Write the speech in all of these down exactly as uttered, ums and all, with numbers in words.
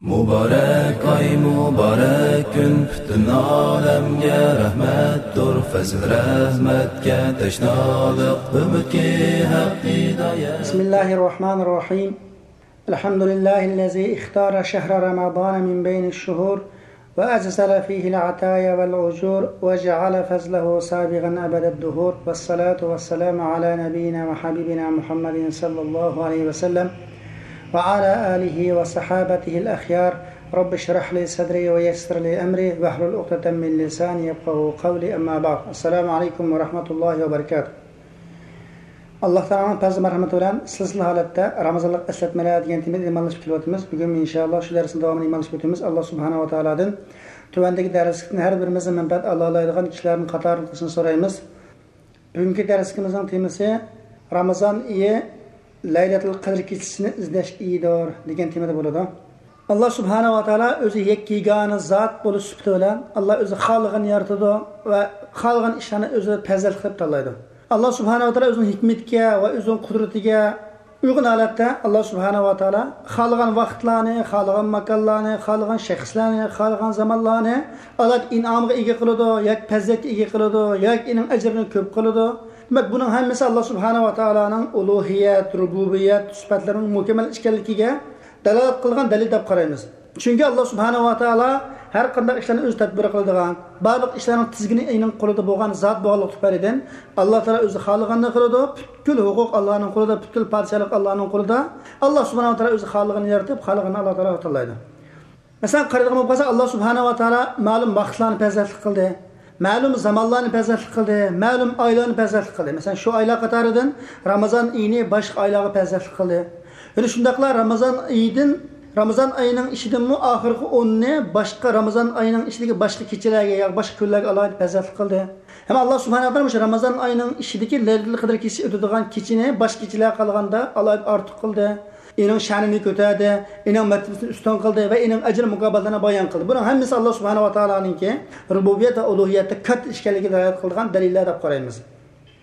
مۇبارەك ئاي، مۇبارەك كۈن، پۈتۈن ئالەمگە رەھمەتتۇر. پەزىل رەھمەتكە تەشنالىق، ئۈمىدكى ھەق ھىدايەت. بسم الله الرحمن الرحيم. الحمد لله الذي اختار شهر رمضان من بين الشهور وأجزل فيه العطايا والأجور وجعل فضله سابغا أبد الدهور، والصلاة والسلام على نبينا وحبيبنا محمد صلى الله عليه وسلم وعلى آله وصحابته الأخيار. رب اشرح لي صدري ويسر لي أمري واحلل عقدة من لساني يفقهوا قولي. أما بعد. السلام عليكم ورحمة الله وبركاته. ئاللا تائالانىڭ پەزلى مەرھىمىتى بىلەن سىلسىلە ھالەتتە رامىزانلىق ئەسلەتمىلەر دېگەن تېمىدا ئىمانلىشىپ كېلىۋاتىمىز. بۈگۈن ئىنشائاللا شۇ دەرسنىڭ داۋامىنى ئىمانلىشىپ ئۆتىمىز. ئاللا سۇبھانەھۇ ۋە تائالادىن تۆۋەندىكى دەرسلىكتىن ھەر بىرىمىزنى مەنپەئەت ئالالايدىغان كىشىلەرنىڭ قاتارىدا قىلىشنى سورايمىز. بۈگۈنكى دەرسلىكىمىزنىڭ تېمىسى رامىزان ئېيى لەيلەتۇل قەدىر كېچىسىنى ئىزدەش ئېيىدۇر دېگەن تېمىدا بولىدۇ. ئاللا سۇبھانەھۇ ۋە تائالا ئۆزى يەككە يېگانە زات بولۇش سۈپىتى بىلەن ئاللا ئۆزى خالىغاننى يارىتىدۇ ۋە خالىغان ئىشلارنى ئۆزى پەزىلەت قىلىپ تاللايدۇ. ئاللا سۇبھانەھۇ ۋە تائالا ئۆزىنىڭ ھېكمىتىگە ۋە ئۆزىنىڭ قۇدرىتىگە ئۇيغۇن ھالەتتە ئاللا سۇبھانەھۇ ۋە تائالا خالىغان ۋاقىتلارنى، خالىغان ماكانلارنى، خالىغان شەخسلەرنى، خالىغان زامانلارنى ئالاھىدە ئىنئامغا ئىگە قىلىدۇ ياكى پەزىلەتكە ئىگە قىلىدۇ ياكى ئېنىڭ ئەجرىنى كۆپ قىلىدۇ. دېمەك، بۇنىڭ ھەممىسى ئاللا سۇبھانەھۇ ۋە تائالانىڭ ئۇلۇھىيەت، رۇبۇبىيەت سۈپەتلىرىنىڭ مۇكەممەل ئىكەنلىكىگە دالالەت قىلغان دەلىل دەپ قارايمىز. چۈنكى ئاللا سۇبھانەھۇ ۋە تائالا ھەر قانداق ئىشلارنى ئۆزى تەدبىر قىلىدىغان، بارلىق ئىشلارنىڭ تىزگىنى ئېنىڭ قولىدا بولغان زات بولغانلىقى تۈپەيلىدىن، ئاللا تائالا ئۆزى خالىغاننى قىلىدۇ، پۈتكۈل ھوقۇق ئاللانىڭ قولىدا، پۈتكۈل پادىشاھلىق ئاللانىڭ قولىدا. ئاللا سۇبھانەھۇ ۋە تائالا ئۆزى خالىغاننى يارىتىپ، خالىغاننى ئاللا تائالا تاللايدۇ. مەسىلەن، قارايدىغان بولۇپ قالسا، ئاللا سۇبھانەھۇ ۋە تائالا مەلۇم ۋاقىتلارنى پەزىلەتلىك قىلدى، مەلۇم زامانلارنى پەزىلەتلىك قىلدى، مەلۇم ئايلارنى پەزىلەتلىك قىلدى. مەسىلەن، شۇ ئايلار قاتارىدىن رامىزان ئېيىنى باشقا ئايلارغا پەزىلەتلىك قىلدى. يەنە شۇنداقلا رامىزان ئېيىدىن، رامىزان ئېيىنىڭ ئىچىدىنمۇ ئاخىرقى ئوننى باشقا رامىزان ئېيىنىڭ ئىچىدىكى باشقا كېچىلەرگە يا باشقا كۈنلەرگە ئالاھىدە پەزىلەتلىك قىلدى. ھەم ئاللا سۇبھانەھۇ ۋە تائالا مۇشۇ رامىزان ئېيىنىڭ ئىچىدىكى لەيلەتۇل قەدىر كېچىسى ئۆتىدىغان كېچىنى باشقا كېچىلەرگە قارىغاندا ئالاھىدە ئارتۇق قىلدى. ئېنىڭ شەنىنى كۆتەردى، ئېنىڭ مەرتىۋىسىنى ئۈستۈن قىلدى ۋە ئېنىڭ ئەجىر مۇكاپاتلىرىنى بايان قىلدى. بۇنىڭ ھەممىسى ئاللا سۇبھانەھۇ ۋە تائالانىڭكى رۇبۇبىيەت ۋە ئۇلۇھىيەتتە كاتتا ئىش ئىكەنلىكىگە دالالەت قىلىدىغان دەلىللەر دەپ قارايمىز.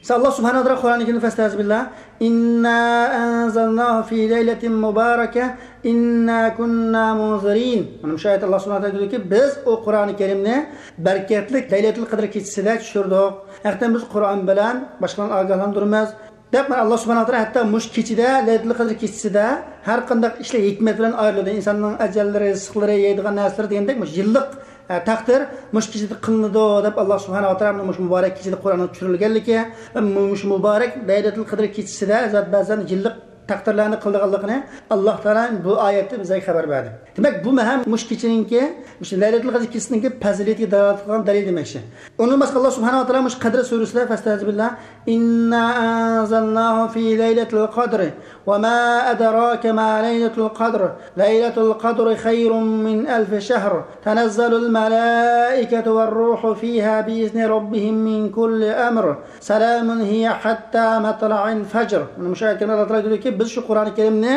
مىسال، ئاللا سۇبھانەھۇ ۋە تائالا قۇرئانى كەرىمدە فەستەئىزبىللا، إنا أنزلناه في ليلة مباركة إنا كنا منذرين. مانا مۇشۇ ئايەتتە ئاللا سۇبھانەھۇ ۋە تائالا دەيدۇكى، بىز ئۇ قۇرئانى كەرىمنى بەرىكەتلىك لەيلەتۇل قەدىر كېچىسىدە چۈشۈردۇق. ھەقىقەتەن بىز قۇرئان بىلەن باشقىلارنى ئاگاھلاندۇرىمىز. دەپ، مانا، ئاللا سۇبھانەھۇ ۋە تائالا ھەتتا مۇشۇ كېچىدە، لەيلەتۇل قەدىر كېچىسىدە ھەر قانداق ئىشلار ھېكمەت بىلەن ئايرىلىدۇ. ئىنساننىڭ ئەجەللىرى، رىزىقلىرى، يەيدىغان نەرسىلىرى دېگەندەك، مۇشۇ يىللىق، ئە، تەقدىر مۇشۇ كېچىدە قىلىنىدۇ دەپ، ئاللا سۇبھانەھۇ ۋە تائالا مۇشۇ مۇبارەك كېچىدە قۇرئاننىڭ چۈشۈرۈلگەنلىكى ۋە مۇشۇ مۇبارەك لەيلەتۇل قەدىر كېچىسىدە زات بەزەن يىللىق تەقدىرلەرنى قىلىدىغانلىقىنى ئاللا تائالا بۇ ئايەتتە بىزگە خەۋەر بەردى. دېمەك، بۇمۇ ھەم مۇشۇ كېچىنىڭكى، مۇشۇ لەيلەتۇل قەدىر كېچىسىنىڭكى پەزىلىتىگە دالالەت قىلغان دەلىل دېمەكچى. ئۇنىڭدىن باشقا، ئاللا سۇبھانەھۇ ۋە تائالا مۇشۇ قەدر سۈرىسىدە، فەستەئىزبىللا، إنا أنزلناه في ليلة القدر وما أدراك ما ليلة القدر ليلة القدر خير من ألف شهر تنزل الملائكة والروح فيها بإذن ربهم من كل أمر سلام هي حتى مطلع الفجر. مانا مۇشۇ ئايەت كەرىمىدە ئاللا تائالا دېدىكى، بىز شۇ قۇرئانى كەرىمنى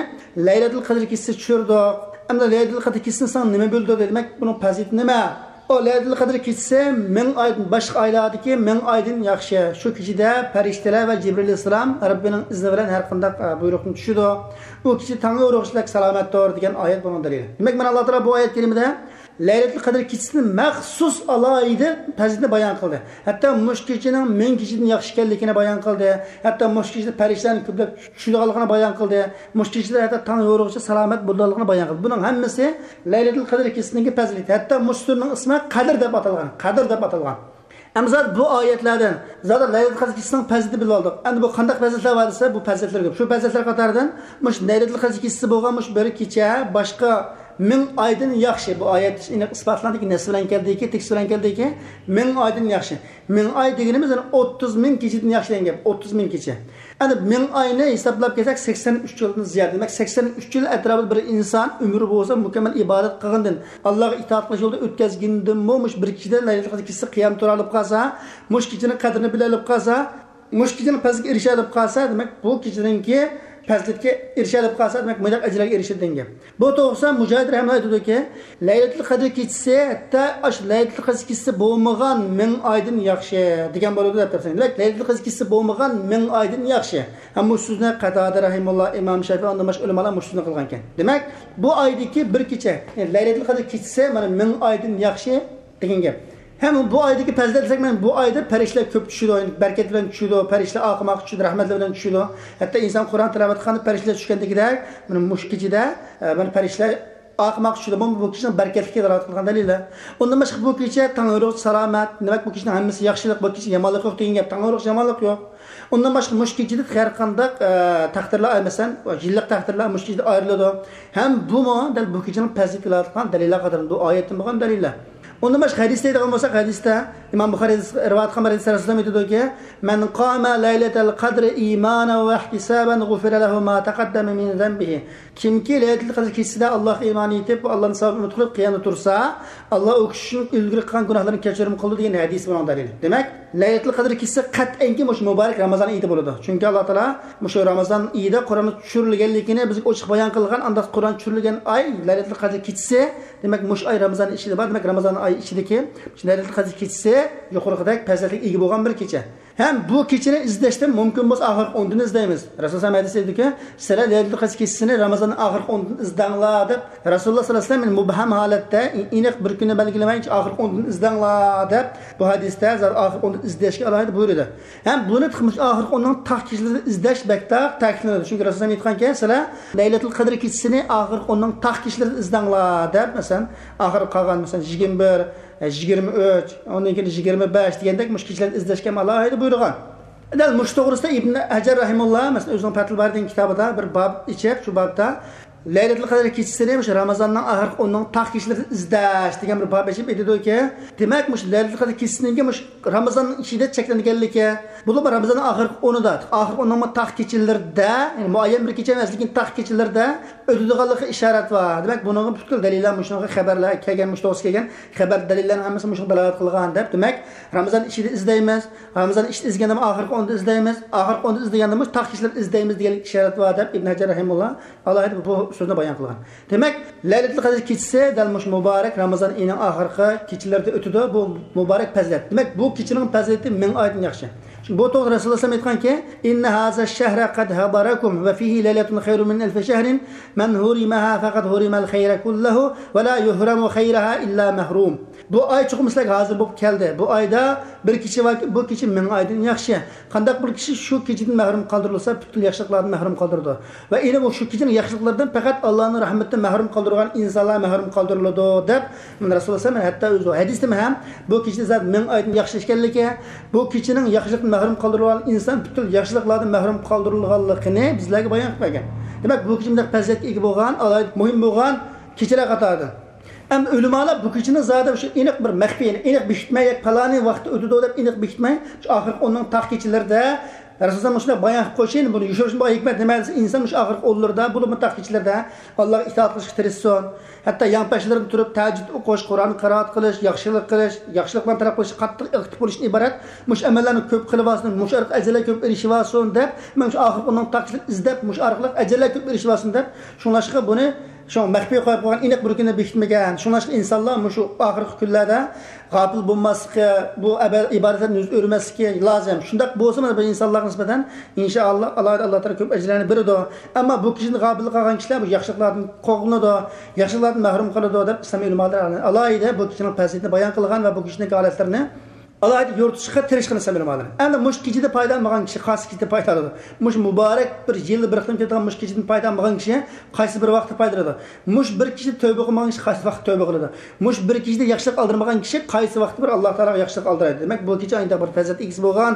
لەيلەتۇل قەدر كېچىسى چۈشۈردۇق. ئەمدى لەيلەتۇل قەدر كېچىسىنى ساڭا نېمە بىلدۈردى؟ دېمەك، بۇنىڭ پەزىلىتى نېمە؟ ئۇ لەيلەتۇل قەدر كېچىسى مىڭ ئايدىن، باشقا ئايلاردىكى مىڭ ئايدىن ياخشى. شۇ كېچىدە پەرىشتىلەر ۋە جىبرىل ئەلەيھىسسالام رەببىنىڭ ئىزنى بىلەن ھەر قانداق، ئە، بۇيرۇقنى چۈشىدۇ. ئۇ كېچە تاڭ يورۇغۇچىلىك سالامەتتۇر دېگەن ئايەت بۇنىڭ دەلىلى. دېمەك، مانا ئاللا تائالا بۇ ئايەت كەرىمىدە لەيلەتۇل قەدر كېچىسىنى مەخسۇس ئالاھىدە پەزىلىتىنى بايان قىلدى. ھەتتا مۇشۇ كېچىنىڭ مىڭ كېچىدىن ياخشى ئىكەنلىكىنى بايان قىلدى. ھەتتا مۇشۇ كېچىدە پەرىشتىلەرنىڭ كۆپلەپ چۈشىدىغانلىقىنى بايان قىلدى. مۇشۇ كېچىدە ھەتتا تاڭ يورۇغۇچە سالامەت بولىدىغانلىقىنى بايان قىلدى. بۇنىڭ ھەممىسى لەيلەتۇل قەدر كېچىسىنىڭكى پەزىلىتى. ھەتتا مۇشۇ سۈرىنىڭ ئىسمى قەدىر دەپ ئاتالغان. قەدىر دەپ ئاتالغان. ئەمما زادى بۇ ئايەتلەردىن زادى لەيلەتۇل قەدر كېچىسىنىڭ پەزىلىتىنى بىلىۋالدۇق. ئەمدى بۇ قانداق پەزىلەتلەر بار دېسە، بۇ پەزىلەتلەر كۆپ. شۇ پەزىلەتلەر قاتارىدىن مۇشۇ لەيلەتۇل قەدر كېچىسى بولغان مۇشۇ بىر كېچە باشقا مىڭ ئايدىن ياخشى. بۇ ئايەت ئېنىق ئىسپاتلاندىكى نەس بىلەن كەلدىكى، تېكىست بىلەن كەلدىكى، مىڭ ئايدىن ياخشى. مىڭ ئاي دېگىنىمىز يەنى ئوتتۇز مىڭ كېچىدىن ياخشى دېگەن گەپ. ئوتتۇز مىڭ كېچە. ئەنە مىڭ ئاينى ھېسابلاپ كەلسەك، سەكسەن ئۈچ يىلدىن زىيادە. دېمەك، سەكسەن ئۈچ يىل ئەتراپىدا بىر ئىنسان ئۆمرى بولسا مۇكەممەل ئىبادەت قىلغاندىن، ئاللاغا ئىتائەت قىلىش يولىدا ئۆتكەزگىندىنمۇ مۇشۇ بىر كېچىدە لەيلەتۇل قەدر كېچىسى قىيام تۇرالىپ قالسا، مۇشۇ كېچىنىڭ قەدرىنى بىلەلىپ قالسا، مۇشۇ كېچىنىڭ پەزىلىتىگە ئېرىشەلىپ قالسا، دېمەك، بۇ كېچىنىڭكى پەزىلەتكە ئېرىشەلەپ قالسا، دېمەك، مۇنداق ئەجىرگە ئېرىشىدۇ دېگەن گەپ. بۇ توغرىسىدا مۇجاھىد رەھىمەھۇللاھ ئېيتىدۇكى، لەيلەتۇل قەدر كېچىسى ھەتتا ئاشۇ لەيلەتۇل قەدر كېچىسى بولمىغان مىڭ ئايدىن ياخشى دېگەن بولىدۇ دەپ تەپسىر. دېمەك، لەيلەتۇل قەدر كېچىسى بولمىغان مىڭ ئايدىن ياخشى. ھەم بۇ سۆزنى قاتادە رەھىمۇللاھ، ئىمام شافىئى، ئاندىن باشقا ئۆلىمالار مۇشۇ سۆزنى قىلغانىكەن. دېمەك، بۇ ئايدىكى بىر كېچە، يەنى لەيلەتۇل قەدر كېچىسى مانا مىڭ ئايدىن ياخشى دېگەن گەپ. ھەم بۇ ئايدىكى پەزىلەت دېسەك، مانا بۇ ئايدا پەرىشتىلەر كۆپ چۈشىدۇ، بەرىكەت بىلەن چۈشىدۇ، پەرىشتىلەر ئارقىمۇ ئارقا چۈشىدۇ، رەھمەتلەر بىلەن چۈشىدۇ. ھەتتا ئىنسان قۇرئان تىلاۋەت قىلغاندا پەرىشتىلەر چۈشكەندىكىدەك، مانا مۇشۇ كېچىدە، ئە، مانا پەرىشتىلەر ئارقىمۇ ئارقا چۈشىدۇ. بۇ، بۇ كېچىنىڭ بەرىكەتلىكىگە دالالەت قىلغان دەلىللەر. ئۇندىن باشقا بۇ كېچە تەڭ يورۇق، سالامەت، دېمەك، بۇ كېچىنىڭ ھەممىسى ياخشىلىق، بۇ كېچە يامانلىق يوق دېگەن گەپ، تەڭ يورۇق، يامانلىق يوق. ئۇندىن باشقا مۇشۇ كېچىدە ھەر قانداق، ئە، تەقدىرلەر، مەسىلەن، يىللىق تەقدىرلەر مۇشۇ كېچىدە ئايرىلىدۇ. ھەم بۇمۇ دەل بۇ كېچىنىڭ پەزىلىتىگە دالالەت قىلغان دەلىللەر قاتارىدا بۇ ئايەتتىن بولغان دەلىللەر. ئۇندىن باشقا ھەدىس دەيدىغان بولساق، ھەدىستە ئىمام بۇخارىي رىۋايەت قىلغان بىر ھەدىستە رەسۇلۇللاھ ئېيتىدۇكى، مەن قامە لەيلەتەل قەدرى ئىمانەن ۋە ئىھتىسابەن غۇفىرە لەھۇ ما تەقەددەمە مىن زەنبىھى. كىمكى لەيلەتۇل قەدر كېچىسىدە ئاللاھقا ئىمان ئېيتىپ، ئاللانى ساۋاب ئۈمىد قىلىپ قىيامدا تۇرسا، ئاللا ئۇ كىشى ئۈچۈن ئىلگىرى قىلغان گۇناھلىرىنى كەچۈرۈم قىلىدۇ دېگەن ھەدىس بۇنىڭ دەلىلى. دېمەك، لەيلەتۇل قەدر كېچىسى قەتئىيەنكى مۇشۇ مۇبارەك رامىزان ئېيىدا بولىدۇ. چۈنكى ئاللا تائالا مۇشۇ رامىزان ئېيىدا قۇرئاننى چۈشۈرۈلگەنلىكىنى بىزگە ئوچۇق بايان قىلغان، ئانداق قۇرئان چۈشۈرۈلگەن ئاي لەيلەتۇل قەدر كېچىسى. دېمەك، مۇشۇ ئاي رامىزان ئىچىدە بار. دېمەك، رامىزان ئاي ئىچىدىكى مۇشۇ لەيلەتۇل قەدر كېچىسى يۇقىرىقىدەك پەزىلەتكە ئىگە بولغان بىر كېچە. ھەم بۇ كېچىنى ئىزدەشتىن مۇمكىن بولسا ئاخىرقى ئوندىن ئىزدەيمىز. رەسۇلۇللاھ ھەدىس ئېيتىدۇكى، سىلەر لەيلەتۇل قەدر كېچىسىنى رامىزاننىڭ ئاخىرقى ئوندىن ئىزدەڭلار دەپ، رەسۇلۇللاھ ساللاللاھۇ ئەلەيھى ۋەسەللەم مۇبھەم ھالەتتە، ئېنىق بىر كۈننى بەلگىلىمەي، ئاخىرقى ئوندىن ئىزدەڭلار دەپ، بۇ ھەدىستە زادى ئاخىرقى ئوندىن ئىزدەشكە ئالاھىدە بۇيرۇدى. ھەم بۇنى تېخى مۇشۇ ئاخىرقى ئوننىڭ تاق كېچىلىرىدە ئىزدەش بەك تاق تەكىتلىنىدۇ. چۈنكى رەسۇلۇللاھ ئېيتقانكەن، سىلەر لەيلەتۇل قەدر كېچىسىنى ئاخىرقى ئوننىڭ تاق كېچىلىرىدە ئىزدەڭلار دەپ، مەسىلەن، ئاخىرقى قالغان، مەسىلەن، يىگىرمە بىر، يىگىرمە ئۈچ، ئۇنىڭ كېيىن يىگىرمە بەش دېگەندەك مۇشۇ كېچىلەرنى ئىزدەشكە ھەم ئالاھىدە بۇيرۇغان. دەل مۇشۇ توغرىسىدا ئىبن ھەجەر رەھىمۇللا، مەسىلەن، ئۆزىنىڭ پەتھۇل بارى دېگەن كىتابىدا بىر باب ئېچىپ، شۇ بابتا لەيلەتۇل قەدر كېچىسىنى مۇشۇ رامىزاننىڭ ئاخىرقى ئوننىڭ تاق كېچىلىرىدە ئىزدەش دېگەن بىر باب ئېچىپ ئېيتىدۇكى، دېمەك، مۇشۇ لەيلەتۇل قەدر كېچىسىنىڭكى مۇشۇ رامىزاننىڭ ئىچىدە چەكلەنگەنلىكى، بولۇپمۇ رامىزاننىڭ ئاخىرقى ئونىدا، ئاخىرقى ئوننىڭمۇ تاق كېچىلىرىدە، يەنى مۇئەييەن بىر كېچە ئەمەس، لېكىن تاق كېچىلىرىدە ئۆتىدىغانلىقىغا ئىشارەت بار. دېمەك، بۇنىڭغا پۈتكۈل دەلىللەر، مۇشۇنىڭغا خەۋەرلەر كەلگەن، مۇشۇ توغرىسىدا كەلگەن خەۋەر دەلىللەرنىڭ ھەممىسى مۇشۇنىڭغا دالالەت قىلغان دەپ، دېمەك، رامىزان ئىچىدە ئىزدەيمىز، رامىزان ئىچىدە ئىزدىگەندىمۇ ئاخىرقى ئوندا ئىزدەيمىز، ئاخىرقى ئوندا ئىزدىگەندىمۇ تاق كېچىلەردە ئىزدەيمىز دېگەنلىك ئىشارەت بار دەپ ئىبن ھەجەر رەھىمۇللا ئالاھىدە بۇ سۆزنى بايان قىلغان. دېمەك، لەيلەتۇل قەدر كېچىسى دەل مۇشۇ مۇبارەك رامىزان ئېيىنىڭ ئاخىرقى كېچىلىرىدە ئۆتىدۇ. بۇ مۇبارەك پەزىلەت. دېمەك، بۇ كېچىنىڭ پەزىلىتى مىڭ ئايدىن ياخشى. چۈنكى بۇ توغرىدا رەسۇلۇللاھ ئېيتقانكى، إن هذا الشهر قد حضركم وفيه ليلة خير من ألف شهر، من حرمها فقد حرم الخير كله ولا يحرم خيرها إلا محروم. بۇ ئاي چوقۇم سىلەرگە ھازىر بولۇپ كەلدى. بۇ ئايدا بىر كېچە باركى، بۇ كېچە مىڭ ئايدىن ياخشى. قانداق بىر كىشى شۇ كېچىدىن مەھرۇم قالدۇرۇلسا، پۈتكۈل ياخشىلىقلاردىن مەھرۇم قالدۇرىدۇ. ۋە يەنە بۇ شۇ كېچىنىڭ ياخشىلىقلىرىدىن پەقەت ئاللانىڭ رەھمىتىدىن مەھرۇم قالدۇرغان ئىنسانلار مەھرۇم قالدۇرۇلىدۇ، دەپ مانا رەسۇلۇللاھ ھەتتا ئۆزى ھەدىستىمۇ ھەم بۇ كېچىدە زادى مىڭ ئايدىن ياخشى ئىكەنلىكى، بۇ كېچىنىڭ ياخشىلىقتىن مەھرۇم قالدۇرۇلغان ئىنسان پۈتكۈل ياخشىلىقلاردىن مەھرۇم قالدۇرۇلغانلىقىنى بىزلەرگە بايان قىلىپ بەرگەن. دېمەك، بۇ كېچە مۇنداق پەزىلەتكە ئىگە بولغان، ئالاھىدە مۇھىم بولغان كېچىلەر قاتارىدىن. ئەمما ئۆلىمالار بۇ كېچىنى زادى شۇ ئېنىق بىر مەخپىي، ئېنىق بېكىتمەي، ياكى پالانى ۋاقىتتا ئۆتىدۇ دەپ ئېنىق بېكىتمەي، شۇ ئاخىرقى ئوننىڭ تاق كېچىلىرىدە رەسۇلۇللاھ مۇشۇنداق بايان قىلىپ قويۇشى، بۇنى يوشۇرۇشنىڭ ھېكمەت نېمە دېسە، ئىنسان مۇشۇ ئاخىرقى ئونلىرىدا، بولۇپمۇ تاق كېچىلىرىدە ئاللاغا ئىتائەت قىلىشقا تىرىشسۇن. ھەتتا يانپەشلىرىدىن تۇرۇپ تەھەججۇد ئوقۇش، قۇرئان قىرائەت قىلىش، ياخشىلىق قىلىش، ياخشىلىقلارنى تەلەپ قىلىشقا قاتتىق ئاكتىپ بولۇشتىن ئىبارەت. مۇشۇ ئەمەللەرنى كۆپ قىلىۋالسۇن، مۇشۇ ئارقىلىق ئەجىرلەر كۆپ ئېرىشىۋالسۇن دەپ، مەن شۇ ئاخىرقى ئوننىڭ تاق كېچىلىرىنى ئىزدەپ، مۇشۇ ئارقىلىق ئەجىرلەر كۆپ ئېرىشىۋالسۇن دەپ، شۇڭلاشقا بۇنى شۇڭا مەخپىي قويۇپ قويغان، ئېنىق بىر كۈننى بېكىتمىگەن. شۇڭلاشقا ئىنسانلار مۇشۇ ئاخىرقى كۈنلەردە غاپىل بولماسلىقى، بۇ ئەبە-، ئىبادەتلەرنى يۈز ئۆرمەسلىكى لازىم. شۇنداق بولسىمۇ بۇ ئىنسانلارغا نىسبەتەن، ئىنشائاللا، ئالاھىدە ئاللا تائالا كۆپ ئەجىرلەرنى بېرىدۇ. ئەمما بۇ كېچىدىن غاپىل قالغان كىشىلەر بۇ ياخشىلىقلاردىن قوغلىنىدۇ، ياخشىلىقلاردىن مەھرۇم قالىدۇ دەپ ئىسلام ئۆلىمالىرى ئالاھىدە بۇ كېچىنىڭ پەزىلىتىنى بايان قىلغان ۋە بۇ كېچىنىڭ ھالەتلىرىنى ئالاھىدە يورۇتۇشقا تىرىشقىن ئىسلام ئۆلىمالىرى. ئەمدى مۇشۇ كېچىدە پايدا ئالمىغان كىشى قايسى كېچىدە پايدا ئالىدۇ؟ مۇشۇ مۇبارەك بىر يىلدا بىر قېتىم كېلىدىغان مۇشۇ كېچىدىن پايدا ئالمىغان كىشى قايسى بىر ۋاقىتتا پايدا ئالىدۇ؟ مۇشۇ بىر كېچىدە تەۋبە قىلمىغان كىشى قايسى ۋاقىتتا تەۋبە قىلىدۇ؟ مۇشۇ بىر كېچىدە ياخشىلىق ئالدۇرمىغان كىشى قايسى ۋاقىتتا بىر ئاللا تائالاغا ياخشىلىق ئالدۇرايدۇ؟ دېمەك، بۇ كېچە ئاينىدا بىر پەزىلەت ئىگىسى بولغان،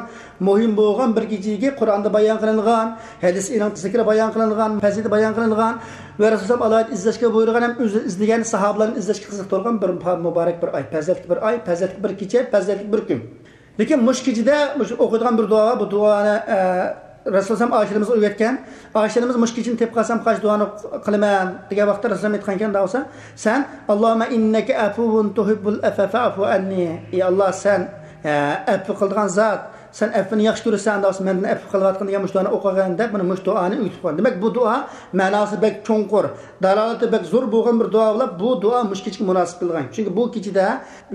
مۇھىم بولغان بىر كېچىگە قۇرئاندا بايان قىلىنغان، ھەدىس ئېنىق زىكرى بايان قىلىنغان، پەزىلىتى بايان قىلىنغان ۋە رەسۇلۇللاھ ئالاھىدە ئىزدەشكە بۇيرۇغان ھەم ئۆزى ئىزدىگەن ساھابىلەرنى ئىزدەشكە قىزىقتۇرغان بىر مۇبارەك بىر ئاي، پەزىلەتلىك بىر ئاي، پەزىلەتلىك بىر كېچە، پەزىلەتلىك بىر كۈن. لېكىن مۇشۇ كېچىدە مۇشۇ ئوقۇيدىغان بىر دۇئا بار، بۇ دۇئانى، ئە، رەسۇلۇللاھ ئايشەنىمىز ئۆگەتكەن. ئايشەنىمىز مۇشۇ كېچىنى تېپىپ قالسام قايسى دۇئانى قىلىمەن دېگەن ۋاقىتتا رەسۇلۇللاھ ئېيتقانكەن، دەۋالسا، سەن، اللهم إنك عفو تحب العفو فاعف عني. ئى ئاللا، سەن، ئە، ئەپۇ قىلىدىغان زات، سەن ئەپۋىنى ياخشى كۆرىسەن، ئانداق بولسا مەندىن ئەپۇ قىلىۋاتقىن دېگەن مۇشۇ دۇئانى ئوقۇغىن دەپ، مانا مۇشۇ دۇئانى ئۆگىتىپ قويغان. دېمەك، بۇ دۇئا مەناسى بەك چوڭقۇر، دالالىتى بەك زور بولغان بىر دۇئا بولۇپ، بۇ دۇئا مۇشۇ كېچىگە مۇناسىپ قىلغان. چۈنكى بۇ كېچىدە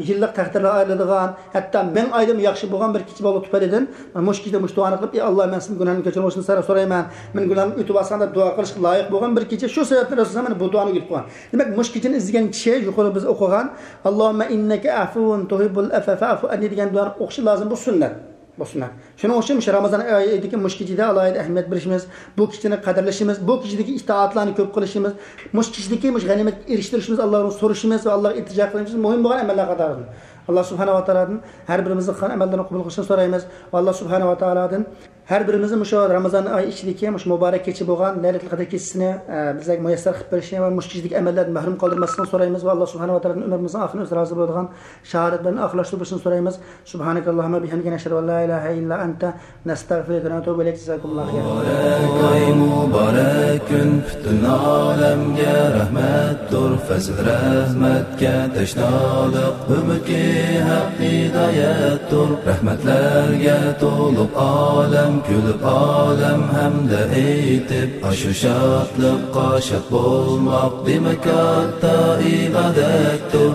يىللىق تەقدىرلەر ئايرىلىدىغان، ھەتتا مىڭ ئايدىنمۇ ياخشى بولغان بىر كېچە بولغان تۈپەيلىدىن، مانا مۇشۇ كېچىدە مۇشۇ دۇئانى قىلىپ، «ئى ئاللا، مەن سېنىڭ گۇناھىمنى كەچۈرۈڭ سەن سورايمەن، مېنىڭ گۇناھىمنى ئۆتۈۋالساڭ» دەپ دۇئا قىلىشقا لايىق بولغان بىر كېچە. شۇ سەۋەبتىن رەسۇلۇللا مانا بۇ دۇئانى ئۆگىتىپ قويغان. دېمەك، مۇشۇ كېچىنى ئىزدىگەن كىشى يۇقىرىدا بىز ئوقۇغان، «ئاللاھۇممە ئىننەكە ئەفۇۋۇن تۇھىببۇل ئەفۋە فەئفۇ ئەننى» دېگەن دۇئانى ئوقۇشى لازىم. بۇ سۈننەت. بۇ سۈننەت. شۇنىڭ ئۈچۈن مۇشۇ رامىزان ئايىدىكى مۇشۇ كېچىدە ئالاھىدە ئەھمىيەت بېرىشىمىز، بۇ كېچىنى قەدىرلىشىمىز، بۇ كېچىدىكى ئىتائەتلەرنى كۆپ قىلىشىمىز، مۇشۇ كېچىدىكى مۇشۇ غەنىيمەتكە ئېرىشتۈرۈشىمىز، ئاللادىن سورىشىمىز ۋە ئاللاغا ئىلتىجا قىلىشىمىز مۇھىم بولغان ئەمەللەر قاتارىدىن. ئاللا سۇبھانەھۇ ۋە تائالادىن ھەر بىرىمىزنىڭ قىلغان ئەمەللىرىنى قوبۇل قىلىشىنى سورايمىز ۋە ئاللا سۇبھانەھۇ ۋە تائالادىن ھەر بىرىمىزنى مۇشۇ رامىزان ئايى ئىچىدىكى مۇشۇ مۇبارەك كېچە بولغان لەيلەتۇل قەدىر كېچىسىنى، ئە، بىزلەرگە مۇيەسسەر قىلىپ بېرىشىنى ۋە مۇشۇ كېچىدىكى ئەمەللەردىن مەھرۇم قالدۇرماسلىقىنى سورايمىز ۋە ئاللا سۇبھانەھۇ ۋە تائالادىن ئۆمرىمىزنىڭ ئاخىرىنى ئۆزى رازى بولىدىغان شاھادەت بىلەن ئاخىرلاشتۇرۇپ بېرىشىنى سورايمىز. سبحانك اللهم بحمدك، نشهد أن لا إله إلا أنت، نستغفرك ونتوب إليك. جزاكم الله خيرا. مۇبارەك ئاي، مۇبارەك كۈن، پۈتۈن ئالەمگە رەھمەتتۇر. پەزىل رەھمەتكە تەشنالىق، ئۈمىدكى ھەق ھىدايەتتۇر. رەھمەتلەرگە تولۇپ ئالەم، كۈلۈپ ئالەم ھەمدە ئېيتىپ، ئاشۇ شادلىققا شاد بولماق، دېمەك، كاتتا ئىبادەتتۇر.